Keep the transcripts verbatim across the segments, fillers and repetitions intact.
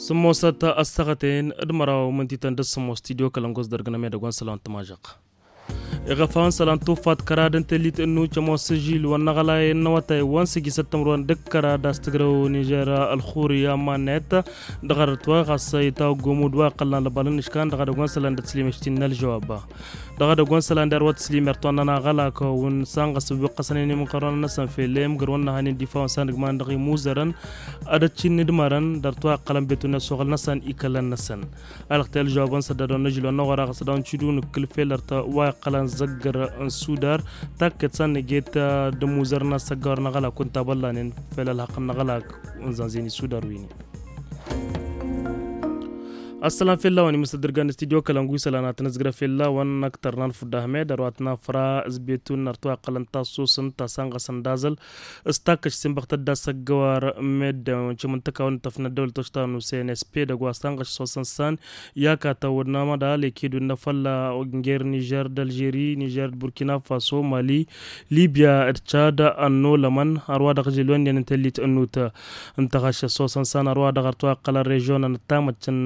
Sǝmmosăt ăssaɣăten d-măraw mǝntităn d-sǝmmos tidyo kălăngos dăr-gǝnăm edăgg wa n-sălan tămažăɣ. Iɣăfawăn sălan tuffat kăra d-ǝnta lit-ǝnnu cămos s-žil wa n-aɣălay n-awătay wa n-sǝjjǝsăt tămrăwăn d-kăra d-as-tǝgrăw nižer ălxurya mannet. Dăɣ-arăt wa ɣas itawăgg omud wa iqqălăn lăbal n-iškan dăɣ-edăgg wa n-sălan d-ăslim eštin n-ălžăwab. Dăɣ-edăgg wa n-sălan d-arwăt slimer tonnăn aɣălak wa n-sanɣăs wi qqăsăn inimǝnkărăn-năsăn fel emgăr wa n-năhan indifawăn sandǝgman dăɣ-imuzărăn. Ad-ăccinni d-mărăn dăr-twa iqqălăn betun ăsoɣăl-năsăn ikălăn-năsăn. Alăɣtel žăwabăn săddadăn n-ažǝl wa n-aɣăraɣ s-ad-awăn cidun ǝkkǝl fel ărtăwa iqqălăn zăggăr n-sudar. Takket sannăget d-imuzărăn ad-săggawărăn aɣălak wa n-tabăllanen fel ălhăqq n-aɣălak wa n-zanzen isudar wi-ni. Ăssălan fell-awăn imǝstădrǝgăn n-studyo kălăngu isălan ad-tăn-ăzgrăf fell-awăn ăktărnan fudda hmed ărwatna făra s-betun ărtwa iqqălăn tassusăn ta sănɣăsăn d-azăl. S-takkăš s-inbăɣtăt d-asăggăwar meddǝn cimǝntăka wa n-tăfnăt dăwlăt oštanu n-cnsp dăgg-wa s-tanɣăš s-osăn san. I-akatăw d-namădal ekidun n-afălla ǝnger nižer d-alžeri nižer d-burkina faso mali libya d-cad ănnolămăn ărwa dăɣ-žel wa n-iyyăn n-tellit ănnut. Ǝnta ɣaš s-osăn san ărwa dăɣ-ărtwa iqqălăn režionăn ăttamăccăn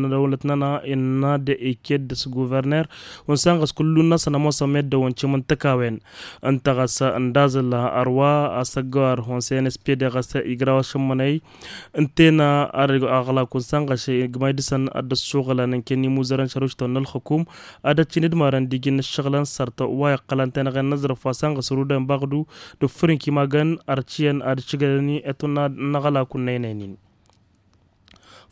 n-dăwlăt-nănăɣ innă d-eked s-guverner. Wa n-sanɣăs kullun-năsăn ămoosăn meddǝn wa n-cimǝntăka-wen. Ǝnta ɣas ǝndazăl ărwa asăggăwar wa n-cnsp dăɣ-s igra wa šămmănăy. Ǝnta-en aɣlak wa n-sanɣăš igmay dăɣ-săn ad-dd-ăssuɣǝlăn ǝnken imuzărăn šăruštăn n-ălxukum. Ad-ăccin d-marăn d-iji n-ǝššăɣǝlăn sărtăw wa iqqălăn tenăɣen n-aẓrǝf wa sanɣăs rudăn baɣdu d-ǝffǝrǝnk imagăn ărciyyăn ad-ǝššǝgălăn i-etun n-aɣlak wa n-năynăynin.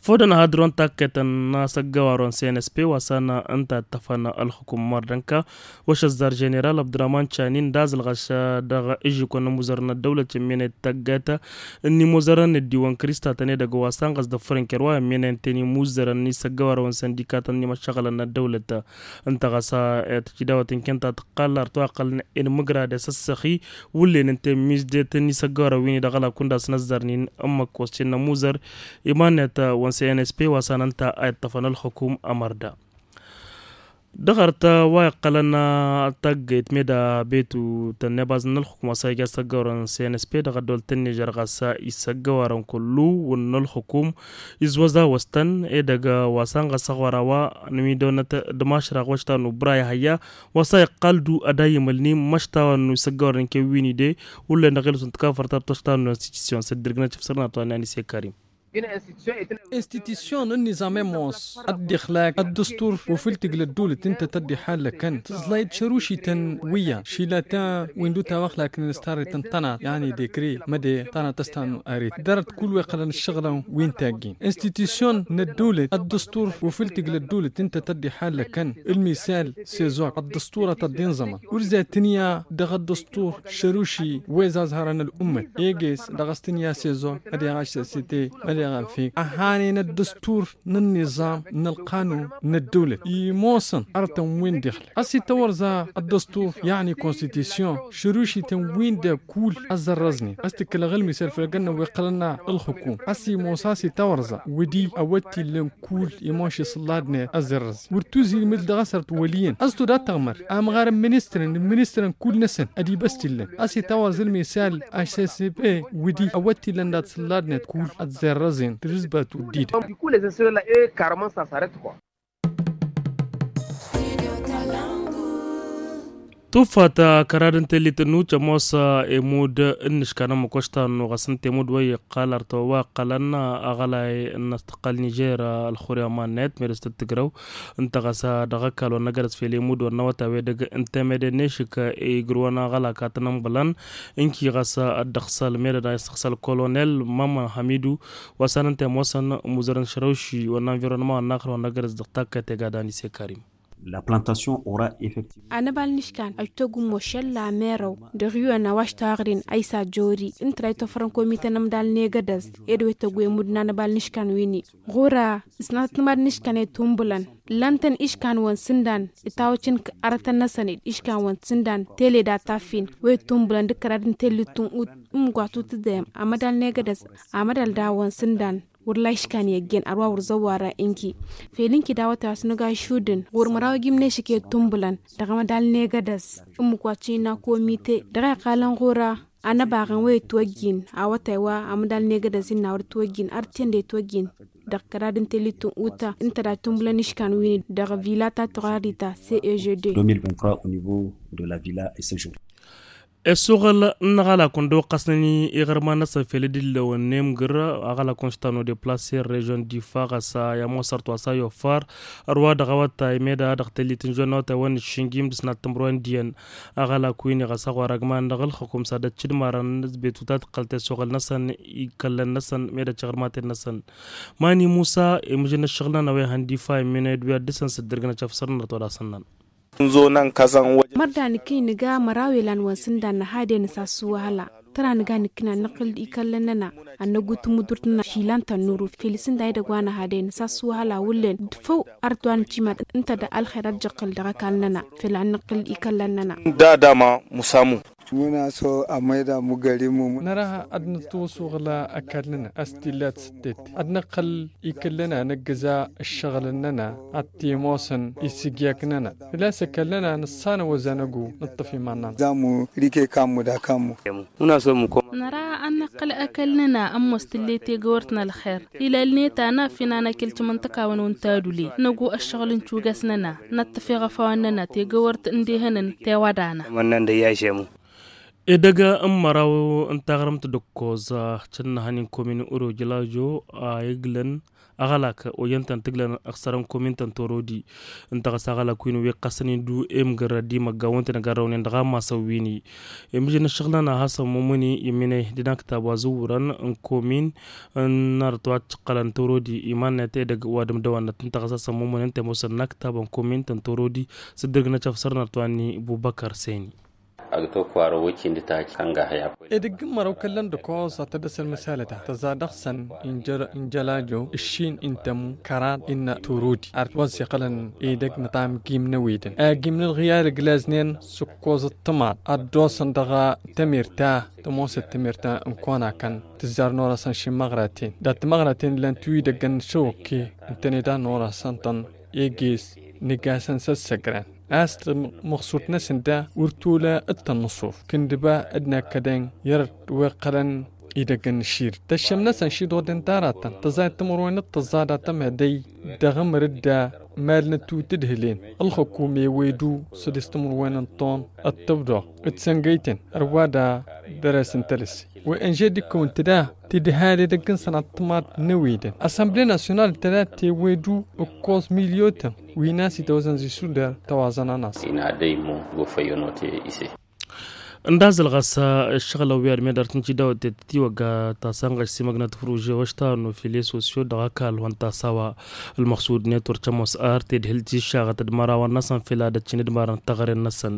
Fodăn hadrǝwăn takketăn n-asăggăwar wa n-cnsp wa s-anăn ǝnta ăttăfăn ălxukum mardănka. Wa šăzzar ženeral abdurahman canin d-azǝlɣăš dăɣ-ižǝkon n-imuzărăn n-ăddăwlăt ǝmminăy d-taggatăn n-imuzărăn n-ăddiwăn kǝristatăn edăgg wa s-anɣăs d-ăffăr n-kăr wa ǝmminăy ǝnta n-imuzărăn n-isăggăwar wa n-săndikatăn n-imăššăɣǝlăn n-ăddăwlăt. Ǝnta ɣas tǝjidawăt n-kăyăn ta tǝqqal ărtwa ăqqălăn inmǝgrad i-asăssăxi wǝllen ǝnta n-mizdet n-isăggăwar wi n-idăɣ ălakund a-s năzzărnin ǝmmǝk wa s-cǝnnă muzăr. Iman-net wa n-cnsp wa s-anăn ta a iṭṭăfăn ălxukum ămărda. Dăɣ-ărtăn wa iqqălăn taggăyt meda betu tănnebazăn n-ălxukum wa s-a ija s-ăggăwărăn cnsp dăɣ-ăddol tănnižăr ɣas isăggăwărăn kullu wǝnn'-ălxukum. Izwăza wăstăn edăgg wa s-anɣăs aɣwăra wa n-wi dăwnăt d-mašraɣ wăšta n-ubra ihăyya wa s-a iqqal du ad-ayǝmǝlni măšta wa n-isăggăwărăn kewwini de. Wǝllen dăɣ-ilǝsǝn tǝkafăr ta d-tăšta n-institusyon s-dd-irgǝnăt f-sărnat wa n-anise karim. Institusyon n-nizam ămoos ăddixlak ăddăstur wa fǝl tǝgla ăddulăt ǝnta tăddixallăkăn tǝẓlayăt šărušităn wi iyyăn šila ta wi n-dut-awăxlak n-inǝstarăytăn tănat yani dekre măde tănat ăstan aret dăr-ădd kull wa iqqălăn ǝššăɣǝlăn wi n-taggin institusyon n-ăddulăt ăddăstur wa fǝl tǝgla ăddulăt ǝnta tăddixallăkăn ǝlmisal sezok ăddăsturăt ăddinẓămăn wăr zat tǝnya dăɣ-ăddăstur šăruši wa izazhărăn ăl'ummăt eges dăɣ-s tǝnya sezon ad-iɣaš s-site ad-iɣafi ăhanen ăddăstur n-ănniẓam n-ălqanun n-ăddăwlăt imosăn arătăn wi n-dixlăt a-s itawărza ăddăstur. Iɣni konstitisyon šărušităn wi n-dăkull ăzzărrăẓnen a-s tǝkkǝlăɣ ălmisăl făll-ăgg-năwăn wi qqălăn ălxukum a-s imos a-s itawărza wădi awăt t-illăn kull imonš isǝlladnet ăzzărrăẓ wăr tuzǝy ilmǝd dăɣ-asărt wăl' iyyăn a-s tud-ad-tăɣmăr amɣar n-ministrăn n-ministrăn kull-năsăn ad-ibăst illăn a-s itawăẓ ălmisal ašsăseb e wădi awăt t-illăn dat-sǝlladnet kull ăzzărrăẓen tǝrǝzbat wăr dd-idăgg. Tuffat kăra d-ǝnta ellit ănnucc ămoos emud n-iškan ămmăk oštan n-uɣăs ǝnta emud wa iqqal artăwăwa ăqqălăn aɣălay n-ăstăqqal nižer ălxurya mannet medes tǝttǝgrăw. Ǝnta ɣas dăɣ-ăkall wa n-agădăs fel emud wa n-awătaw edăgg ǝnta mede n-ešǝk igrǝwăn aɣălak ad-tăn-ănbălăn ǝnki ɣas ăddăɣsăl mede n-a isăɣsăl kolonel mama hamidu. Wa s-anăn temosăn muzărăn šărăwši wa n-anvirănma wa n-axăr wa n-agădăs dăɣ-takkăt egad anise karim. Anăbal n-iškan ăjtăgg ummo šălla merăw dăɣ-iwen a-wa š-taɣrin a isajori ǝnta da itofărăn komite n-amdal n-egădăs ed wa ităgg wemud n-anăbal n-iškan wi-ni. Ɣur-a ǝsnatăt n-amdal n-iškan i-tumbǝlăn ǝllan-tăn iškanwăn sǝndan itawăcin arătăn-năsăn d-iškanwăn sǝndan tele d-ataffin wa ittumbǝlăn d-kărad n-tellit tunɣut. Ǝmmǝk wa tutǝdem amădal n-egădăs amădal dawăn sǝndan wăr la iškan i-ăjjeen ărwa wăr zăwwarăn ǝnki fel ǝnki dawăt a-s nǝga išudǝn ɣur-măraw ijim n-ešǝk i-tumbǝlăn dăɣ-amădal n-egădăs. Ǝmmǝk wa t-innă komite dăɣ-a iqqalăn ɣur-a anăbaɣăn wa itwăjjin awătay wa amădal n-egădăs innă wăr itwăjjin artiyyăn d-itwăjjin. dăɣ-kăra d-intelli tun uta ǝnta da tumbǝlăn iškan win-i dăɣ-vila ta tuɣari ta cegd. Ăssuɣǝl n-aɣalakun d-oqqasnăn iɣărman-năsăn fel d-illăwăn n-emgǝr aɣalakun s-tano deplaser režion difa ɣas a i-ămoosăr twasa i-offar ărwa dăɣ-awătay meda dăɣ-tellit n-žonna awătay wa n-iššǝnjim d-sănat timǝrwen d-iyyăn. Aɣalak wi-ni ɣas a ɣur-agman dăɣ-ǝlxǝkum s-ad-ăččǝdmarăn n-ăzbetu ta tǝqqăl tesuɣǝl-năsăn ikăllăn-năsăn meda tiɣrmaten-năsăn. Mani musa imǝžăn ǝššăɣǝl-nănăɣ wi hăn difa immined wi ad-dăr-săn s-dd-ǝrgǝnăt afsărnăt wa d-asăn-năn. Mărda nǝkǝy nǝga măraw ilan wa n-sǝndan năhadăy nǝsas s-wăhăla tăra nǝga nǝkkǝn ad-nǝqqǝl d-ikallăn-năna ad-năggu tǝmmǝdurt-năna išilan tănnuru fel isǝndan edăgg wa năhadăy nǝsas s-wăhăla wullen d-făw arăt wa nǝcima ǝnta da ălxer ad-jăqqǝl dăɣ-ăkall-năna fel ad-nǝqqǝl d-ikallăn-năna. Dada ma musamu. Muna so a mayda mugărimu. Năra ad-nǝttǝwăsuɣǝl ăkall-năna a-s t-illa d-sǝttet ad-nǝqqǝl ikǝllăn-anăgg ǝza ǝššăɣǝlăn-năna ad-t-ămoosăn isǝgyaknăna făl-a-s ăkall-năna nǝssanăwăz anăggu nǝṭṭăf iman-nănăɣ. Zamu rike kammu d-akammu. Năra ad-nǝqqǝl ăkall-năna ămoos tǝlle tegăwărt n-ălxer ilalnet anaf inan akǝl timǝnṭăkawăn wa n-tadule năggu ăššăɣǝl n-cugas-năna năṭṭăf iɣăfawăn-năna tegăwărt n-dehănăn tewădana. Edăgg n-măraw n-taɣrǝmt d-ǝkkoẓ cǝnnăhăn inkomin urojǝlajo a iglăn aɣălak ojăn-tăn tǝglăn ăɣsărăn komin-tăn torodi. Ǝnta ɣas aɣălak wi n-wi ǝqqăsăn-in du emgăr d-imăgga wa n-tăn-ăgarrăwnen dăɣ-amasăn wi-ni. Imǝžăn ǝššăɣǝl-nănăɣ a hasăn mumǝni imǝnăy d-inaktab wa zǝwwărăn n-komin n-arăt wa t-cǝqqălăn torodi iman-net edăgg wa d-ǝmdăwănnăt ǝnta ɣas a hasăn mumǝni ǝnta i-ămoosăn inaktab n-komin-tăn torodi. S-dd-ǝrgǝnăt afsărnăt wa n-ibubăkăr seni. Edăgg n-mărăw kăllăn d-ǝkoẓ ad-tădd-ăsăl măsalăt-a tăẓa dăɣ-săn injălajo ǝššin intămu kăraḍ innă turudi ar t-wăẓẓiɣălăn edăgg n-iṭam gimnăwedăn agimnăl ɣiyar ǝglaznen s-ǝkkoẓ ǝṭṭămaḍ ad-dd-osăn dăɣ-tămirt ta tămoosăt tămirt ta n-konakăn tǝzzar n-orăsăn šimăɣraten dat-tămăɣraten lăn tiwidăggăn n-šăwăkke ǝntăne da n-orăsăn-tăn eges nǝgasăn s-ăssăgran a-s măɣsud-năsăn da wăr tolă d-tănnăṣuf kǝndǝba d-nakkădăn i-ărăt wi ǝqqălăn idăgg n-ašir tăššăm-năsăn šiḍoḍen d-aratăn tăẓayăt timǝrwen d-tăẓẓa datăm hedăy dăɣ-amăr-dd a mal n-ătut d-hǝlen ălxăkum i-wedu săḍis timǝrwen n-ton d-tǝbdoɣ d-săngăyten ărwa da dăr-e-s n-tălăse. Wi n-žed ikkăw ǝnta da tidhal edăgg n-sănat timaḍ n-ewedăn asănble nasyonal ǝnta da tewedu ǝkkoẓ milyotăn wi n-a-s itawăzăn zi sudar tăwaẓăn ănaṣ. Inadăy mo gofăyănote ise. Ǝndazăl ɣas ǝššăɣǝl ăwwi ad-medăr tǝnci dawăt tettiwăgga ta sănɣăš simăgnăt făruže wa ăštanu file sosyo dăɣ-ăkall wa n-tasawa. Ălmăɣsud-net wăr cămoos ar tedhǝlt iššaɣăt d-imărawăn-năsăn fel ad-ăccin d-imarăn tăɣren-năsăn.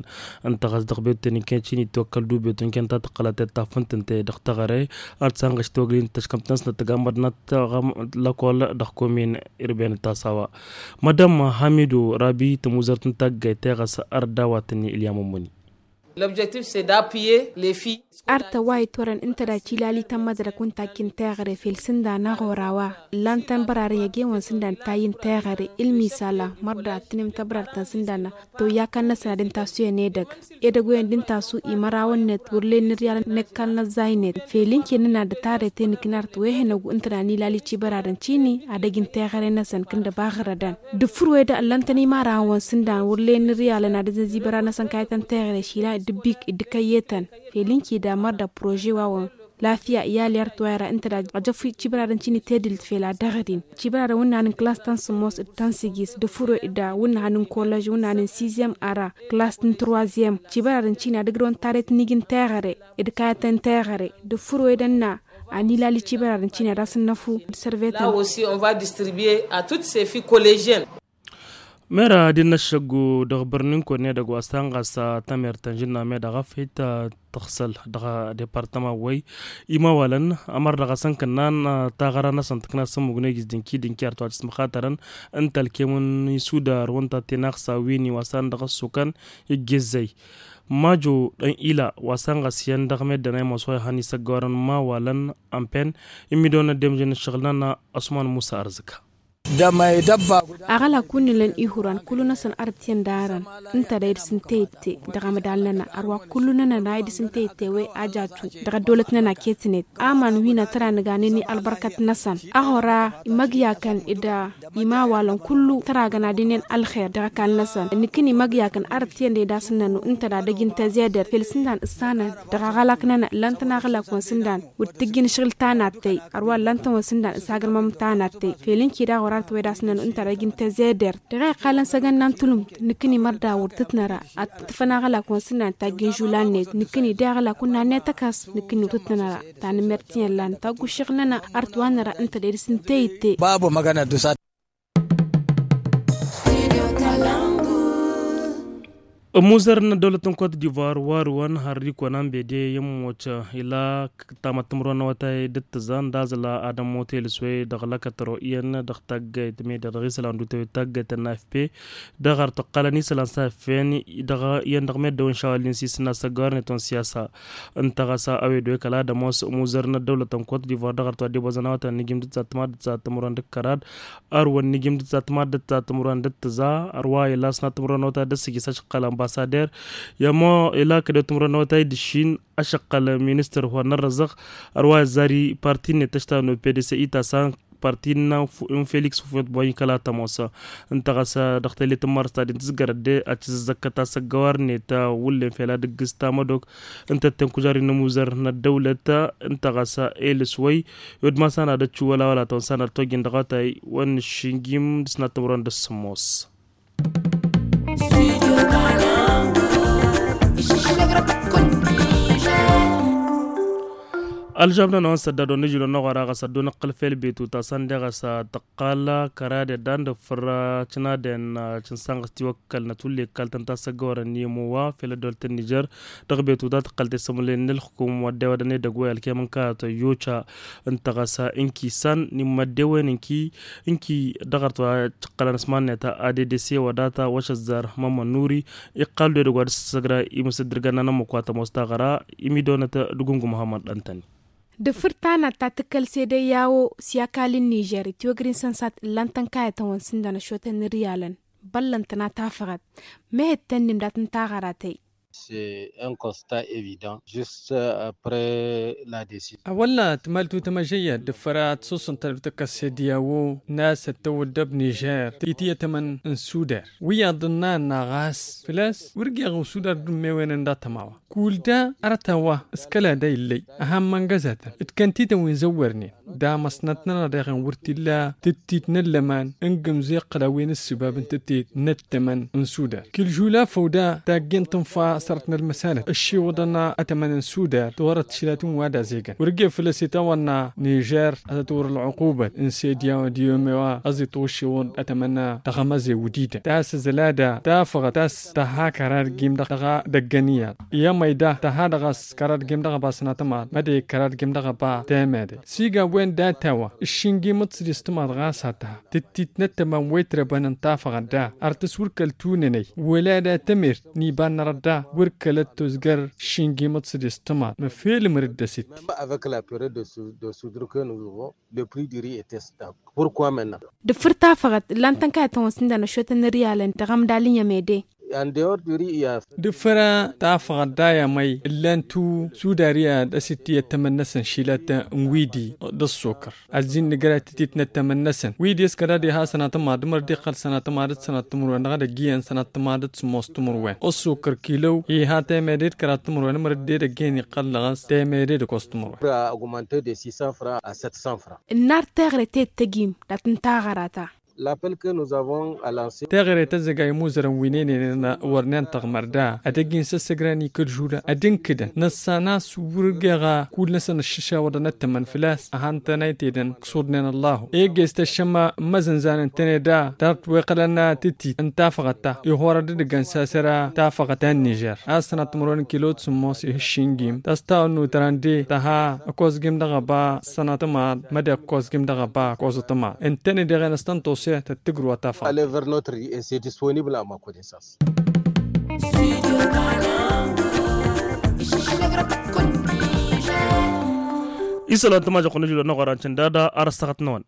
Ǝnta ɣas dăɣ-bettăn iken cin itwăkkăl du bettăn iken ta tăqqălăt tafǝnt ǝnta-e dăɣ-tăɣre ad-sănɣăš tiwăgli n-tăškămt-năsnăt tăgammăd n-ad-tăɣăm lăkol dăɣ-komin irben d-tasawa. Madam hamidu rabi tămuzărt n-taggayt teɣăs ărdawat-ni ilya mămmăni. Ar tăwayǝt wărăn ǝnta dac ilalităn mădrăk wa n-takki n-teɣăre fel sǝndan aɣora wa ǝllan-tăn bărarăn i-ăgg-e-wăn sǝndan tayy n-teɣăre ǝlmisala mărda ad-tǝnǝm tăbrartăn sǝndan toyya kăl-năsăn ad-ǝnta a-s wen edăgg edăgg-oyen d-ǝnta a-s u-imărawăn-net wăr len n-iriyalăn n-ăkall n-ăzzay-net fel ǝnken n-ad-ătarreten ǝknart wa ehănăgu ǝnta da n-ilali cibărarăn cini ad-ăj n-teɣăre-năsăn kǝndăba ɣărădăn. D-ǝffǝr wa edăgg ǝllăn-tăn imărawăn sǝndan wăr len n-iriyalăn ad-ǝzzăn zibăra-năsăn kayătăn teɣăre išilan d-ǝbbik d-ǝkăyyetăn fel ǝnki da mărda prože wa wăn lafiya i-alert wa ira ǝnta da ăjăf cibărarăn cini tedǝlt fel ad-dăɣ-ădin cibărarăn wǝnnan n-klas ta n-sǝmmos d-ta n-sǝjis d-ǝffǝr wa edăgg wǝnnan n-kolăž wǝnnan n-sizem ara klas n-turwazem cibărarăn cini ad-ǝgrăwăn tarret n-iji n-teɣăre d-kayătăn teɣăre d-ǝffǝr wa edăgg n-a anilali cibărarăn cini ad-asǝnnăfu d-sărvetăn. Mera ad-innăššăggu dăɣ-bărninkon n-edăgg wa s-tanɣas tămertăn žǝnna medaɣ afăyt tăɣsăl dăɣ-departăma wăy imawalăn ămăr dăɣ-asăn kănnan taɣăra-năsăn tǝkna s-ămmugna igǝs dǝnki-dǝnki ar tawăt s-măxatărăn n-tălkem n-isudar wănta tenaɣsa win-i wa s-an dăɣ-ăssukăn iggǝzzăy majo d-ila wa s-anɣăs iyyăn dăɣ-meddǝn a imos wa ihăn isăggorăn imawalăn ănpen imidăwăn ăddemžăn ǝššăɣǝl-nănăɣ ăsman musa ărzǝka. Dămăy dăbba. Aɣălak wi n-ilăn ihuran kullu-năsăn arăt iyyăn d-arăn ǝnta da idǝs n-teyǝtte dăɣ-amădal-nănăɣ ărwa kullu-nănăɣ da idǝs n-teyǝtte a-wa ajatu dăɣ-ăddăwlăt-nănăɣ ketnet aman wi n-ad-tăra nǝganen i-ălbărkăt-năsăn. Aɣora imăgyakăn d-imawalăn kullu tăragăn ad-ǝnnen ălxer dăɣ-ăkall-năsăn nǝkkǝni imăgyakăn arăt iyyăn d-e-dasăn-nănu ǝnta da dăj-intăzeder fel s-ǝndan ǝssanăn dăɣ-aɣălak-nănăɣ ǝllăn-tăn aɣălak wa n-sǝndan wăr t-tǝjjǝn ašăɣǝl tanattăy. Ărwa ǝllan-tăn wa s-ǝndan s-agǝrmăm tanattăy fel ǝnki daɣ wăr-arăt wa d-asnăn ǝnta dăj-intăzeder dăɣ-e iqqalăn s-agănna n-tulǝmt. Nǝkkǝni mărda wăr tǝtnăra ad-tǝfăn aɣălak wa n-sǝndan tajjǝn žulan-net nǝkkǝni d-aɣălak wa n-nannăy tăkkas. Nǝkkǝni wăr tǝtnăra tanǝmmert iyyăn lan tagguššeɣ-nănăɣ arăt wa năra ǝnta dăj-dăr-s n-teyǝtte. Babo magana dusa. Ămmuzăr n-ăddăwlăt n-kot divoir warǝwăn har d-ikăwăn anbede i-ămmoc ila tamăttămrăwăn n-awătay d-ǝttǝzan d-azǝla ad-ămmut elǝswăy dăɣ-lăkătăro iyyăn dăɣ-taggayt mede dăɣ-isălan d-utăwet taggayt n-afp dăɣ-ar tăqqalăn isălan s-afp iyyăn dăɣ-meddewăn šawăl n-sisǝnna s-ăggăwarnet wa n-siyasa. Ǝnta ɣas a-wen dd-oy kăla ad-ămoos ămmuzăr n-ăddăwlăt n-kot divoir dăɣ-ar tăwadde bozăn awătay n-ijim d-ǝzzat timad d-ǝzzat timrăwăn d-kărad ărwăn n-ijim d-ǝzzat timad d-ǝzzat timrăwăn d-ǝttǝza. Ărwa ila s-nat timrăwăn n-awătay d-ǝssǝjǝs ašăqqăl ambasader i-ămo ila kădăw timrăwăn n-awătay d-ǝššin ašăqqăl ministăr wa n-ărrăzăɣ. Ărwa ăzzari parti-net ăštanu pdc i-tasan parti n-fu n-felix fufut boy kăla tămosa. Ǝnta ɣas dăɣ-tellet n-mars ta din tǝzgărăt de ad-tǝzzăkkăt asăggăwar-net wullen fel ad-ǝggǝs tamădok ǝnta ătten kužar-in n-ămuzăr n-ăddăwlăt. Ǝnta ɣas elǝs wăy i-wădma s-anad ăčču wăla wăla tăwăn s-anad tojjăn dăɣ-awătay wăn n-ǝššǝnjim d-asnat timrăwăn d-ăssǝmmos. Ălžabnăn a-wa n-săddad wa n-ažil wa n-aɣora ɣas ăddoon ǝqqǝl fel betu ta săn deɣ ɣas tăqqal kăra-de dan d-ǝffǝr cǝnaden cǝnsanɣăs tiwăkkălnăt wălla ikkaltăn tasăggăwărăn n-imowa fel ăddoolăt n-nižer. Dăɣ-betu ta tǝqqăl tesămǝlăyăn n-ǝlxǝkum wa dd-ewădăn edăgg wa i-ălkem n-kayăt ăyyoca. Ǝnta ɣas ǝnki san n-immăddewen ǝnki ǝnki dăɣ-ărtwa cǝqqălăn s-iman-net add s-e-wădata wa šăzzar mămmănuri. Iqqal-dd edăgg wa dd-săssăgra imǝsǝddǝrgăn n-anămmuk wa tămoos taɣăra imidonăt d-gungu muhammăd ăntăni. D-ǝffǝr tanat ta tǝkkăl s-ede i-a-wo s-i-ăkall n-nižer itiwăgrin săn-sat ǝllan-tăn kayătăn wa n-sǝndan ăššotăn n-riyalăn băllăn-tăn ad-tafăɣăt. Mehet tănnim dat-n taɣăra tăy. C'est un constat évident juste après la décision. A-wălla tǝmal tutăm ažăyyăt d-ǝffăr ad-t-sosăn tălăw tǝkkăs s-ed i-a-wo n-a-s ăttăwăddăb nižer titǝyătămăn n-sudar wi iyyăḍ ǝnna ănna ɣas făl-a-s wăr geɣ usudar d-ummewăyăn ǝnda tămawa. Kull da arăt a-wa s-kăla da illăy ăhammăn găzătăn d-kăntităn wi n-zăwwărnen damăsnăt-nănăɣ deɣen wăr t-illa tǝttit n-ăllăman n-gǝmz iqqăl a-wen ǝssǝbab n-tǝttit n-ăttămăn n-sudar. Kǝlžul afăw da taggen tǝnfa sărt n-ălmăsanăt ăššiwăḍăn ătămăn n-sudar d-orăt tišlatăn wa d-azegăn wăr ge făl-ăsetawănna nižer ad-tăt-wăr ălɣuqubăt n-sediyaw d-iyomewa ăẓiṭ wăššiwăḍ ătămăn dăɣ-amăzew d-idăn tasăzălada tafăɣăt ta-s tăha kăra d-gim dăɣ-a dăgg-ăniyaḍ i-amăyda tăha dăɣ-a s-kăra d-gim dăɣ-ăba sănatămaḍ mădăy kăra d-gim dăɣ-ăba temede. Siga wen data-wa ǝššǝnjim d-sădis tămaḍ ɣas ad-tăha tǝttit n-ăttămăn wa itrăbăn n-tafăɣăt da ar tǝswǝrkăl tunănăy wăla da tămert n-iba n-arăt da wăr kălăt tozgăr ǝššǝnjim d-sădis tămaḍ măfel măr dd-ăsitti. Même avec la période de sou-, de soudure que nous avons, le prix du riz était stable. Pourquoi maintenant? D-ǝffǝr tafăɣăt ǝllan-tăn kayătăn wa s-ǝndan ăššotăn n-riyalăn dăɣ-amdal n-yămede. D-ǝffăra tafăɣăt da i-amăy ǝllan-tu sudari ad-ăsǝtti ăttămăn-năsăn šilat n-widi d-ăṣṣukăr ăzzin nǝjra tǝtit n-ăttămăn-năsăn widi s-kăra d-iha sănatămaḍ măr dd-iqqăl sănatămaḍ d-sănat timǝrwen dăɣ-edăgg iyyăn sănat tămaḍ d-sămoos timǝrwen ăṣṣukăr kilow iha temede d-kăraḍ timǝrwen măr dd-edăgg iyyăn iqqăl dăɣ-s temede d-ăkoẓ timǝrwen. Augmenter de six cents francs à sept cents francs. Ǝnnar teɣre tettăjim dat-n taɣăra ta. L'appel que nous avons lancé. Teɣre tăzzăga imuzărăn wi n-enăyăn wărnen tăɣmărda ad-ăjin s-ăssăgran ikăl žula ad-ǝnkǝdăn năssan a-s wăr geɣa kull-năsăn ăššăšawăḍăn ăttămăn făl-a-s ăhăn-tăn a itedăn ǝksuḍnen ăllahu eges tăššăma n-imăzănzan ǝntăne da tart wa iqqălăn tǝtit n-tafăɣăt ta ihorăd d-ǝgăn sasăra tafăɣăt ta n-nižer a-s tănăt timǝrwen kilo d-sǝmmos ih' ǝššǝnjim tăstawăn n-utrande tăha ăkkozgim dăɣ-ăba sănăt timaḍ mădde ăkkozgim dăɣ-ăba ăkkoẓăt timaḍ ǝntăne deɣen s-tăn-tose tăt-tǝgrǝw a tafăɣăt. Aller vers notre riz et c'est disponible à ma connaissance. Isălan tămažăɣ-kăwăn ǝžǝlăn n-aɣoran cǝndada ar ăssăɣăt-năwăn.